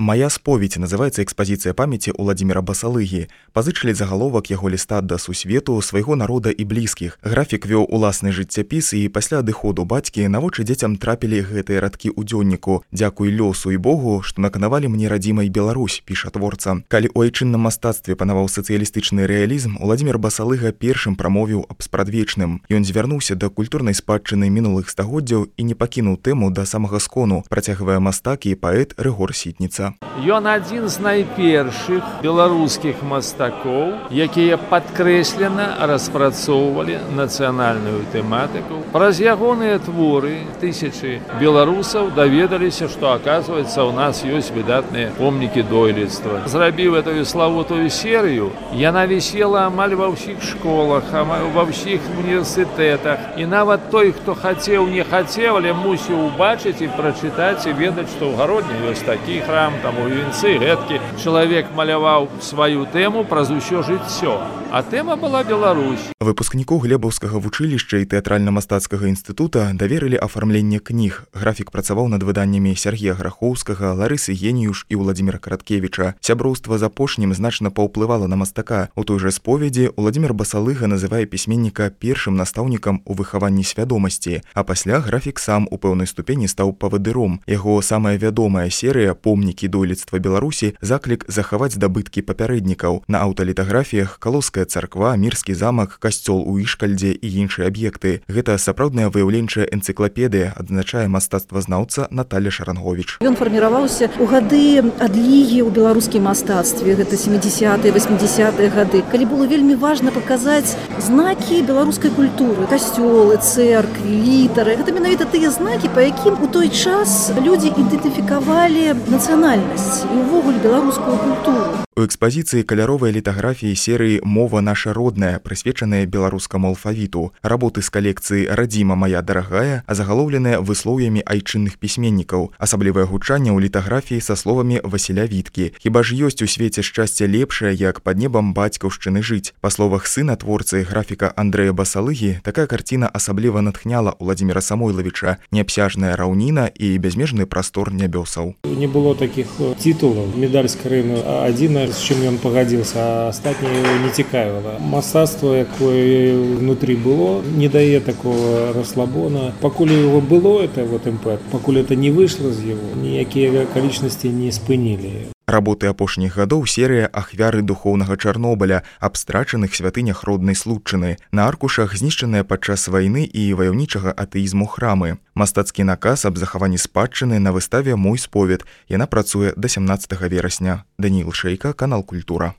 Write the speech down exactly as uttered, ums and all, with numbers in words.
«Моя споведь» называецца экспазіцыя памяці Уладзіміра Басалыгі. Пазычылі загаловак яго ліста да сусвету, свайго народа і блізкіх. Графік вёў уласны жыццяпіс, і пасля адыходу бацькі на вочы дзецям трапілі гэтыя радкі ў дзённіку. «Дзякуй лёсу і Богу, што наканавалі мне радзімай Беларусь», піша творца. Калі ў айчынным мастацтве панаваў сацыялістычны рэалізм, Уладзімір Басалыга першым прамовіў аб спрадвечным. Ён звярнуўся да культурнай спадчыны мінулых стагоддзяў і не пакінуў тэму да самага скону, працягвае мастак і паэт Рыгор Сітніца. Ён адзін з найпершых беларускіх мастакоў, якія падкрэслена распрацоўвалі нацыянальную тэматыку. Праз ягоныя творы тысячы беларусаў даведаліся, што, аказваецца, у нас ёсць выдатныя помнікі дойлідства. Зрабіў эту славутую серыю, яна вісела амаль ва ўсіх школах, амаль ва ўсіх універсітэтах. І нават той, хто хацеў, не хацеў, але мусіў убачыць і прачытаць і ведаць, што ў гародні ёсць такі храм, там у вінцы, гэткі. Чалавек маляваў сваю тэму праз усё жыццё, а тэма была Беларусь. Выпускніку Глебаўскага вучылішча і тэатральна-мастацкага інстытута даверылі афармленне кніг. Графік працаваў над выданнямі Сергея Грахоўскага, Ларысы Геніюш і Уладзіміра Караткевіча. Сяброўства з апошнім значна паўплывала на мастака. У той жа споведзі Уладзімір Басалыга называе пісьменніка першым настаўнікам у выхаванні свядомасці, а пасля графік сам у пэўнай ступені стаў павадыром. Яго самая вядомая серыя «Помнікі дойлідства Беларусі» заклік захаваць здабыткі папярэднікаў. На аўталітаграфіях Калоўская царква, Мірскі замак, касцёл у Ішкальдзе і іншыя аб'екты. Гэта сапраўдная выяўленчая энцыклапедыя, адзначае мастацтвазнаўца Наталя Шаранговіч. Ён фарміраваўся ў гады адлігі ў беларускім мастацтве, гэта сямідзясятыя, васьмідзясятыя гады, калі было вельмі важна паказаць знакі беларускай культуры, касцёлы, цэркві, літары. Гэта менавіта тыя знакі, па якім у той час людзі ідэнтыфікавалі нацыянальнасць і ўвогуле беларускую культуру. У экспазіцыі каляровыя літаграфіі серыі «Мова наша родная», прысвечаныя беларускаму алфавіту. Работы з калекцыі «Радзіма моя дарагая», азагалоўленыя выслоўямі айчынных пісьменнікаў. Асаблівае гучанне ў літаграфіі са словамі Васіля Віткі. Хіба ж ёсць у свеце шчасце лепшае, як пад небам бацькаўшчыны жыць? Па словах сына творцы графіка Андрэя Басалыгі, такая карціна асабліва натхняла Уладзіміра Самойлавіча. Неабсяжная раўніна і бязмежны прастор нябёсаў. Не было такіх титулаў. Медаль з Крыму адзіна, з чым ён пагадзіўся, а астатняе не цікавіла. Мастацтва, якое внутрі было, не дае такого расслабона. Пакуль яго было, это вот імпэт, пакуль это не выйшло з яго, ніякія акалічнасці не спынілі. Работы апошніх гадоў серыя «Ахвяры духоўнага Чарнобыля», аб страчаных святынях роднай Случчыны. На аркушах знішчаныя падчас вайны і ваяўнічага атэізму храмы. Мастацкі наказ аб захаванні спадчыны на выставе «Мой сповед». Яна працуе да сямнаццатага верасня. Даніл Шэйка, канал Культура.